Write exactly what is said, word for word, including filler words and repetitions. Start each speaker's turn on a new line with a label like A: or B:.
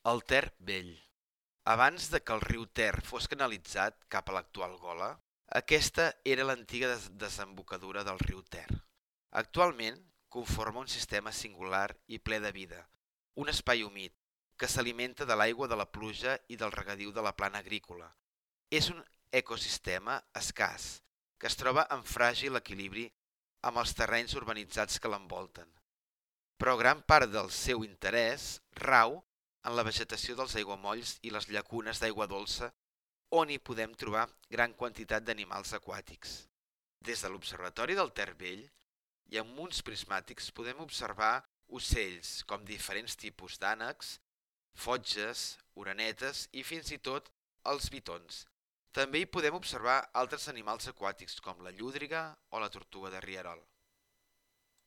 A: El Ter Vell. Abans de que el riu Ter fos canalitzat cap a l'actual Gola, aquesta era l'antiga des desembocadura del riu Ter. Actualment conforma un sistema singular i ple de vida, un espai humit que s'alimenta de l'aigua de la pluja i del regadiu de la plana agrícola. És un ecosistema escàs, que es troba en fràgil equilibri amb els terrenys urbanitzats que l'envolten, però gran part del seu interès rau en la vegetació dels aiguamolls i les llacunes d'aigua dolça on hi podem trobar gran quantitat d'animals aquàtics. Des de l'Observatori del Ter Vell i amb uns prismàtics podem observar ocells com diferents tipus d'ànecs, fotges, orenetes i fins i tot els bitons. També hi podem observar altres animals aquàtics com la llúdriga o la tortuga de rierol.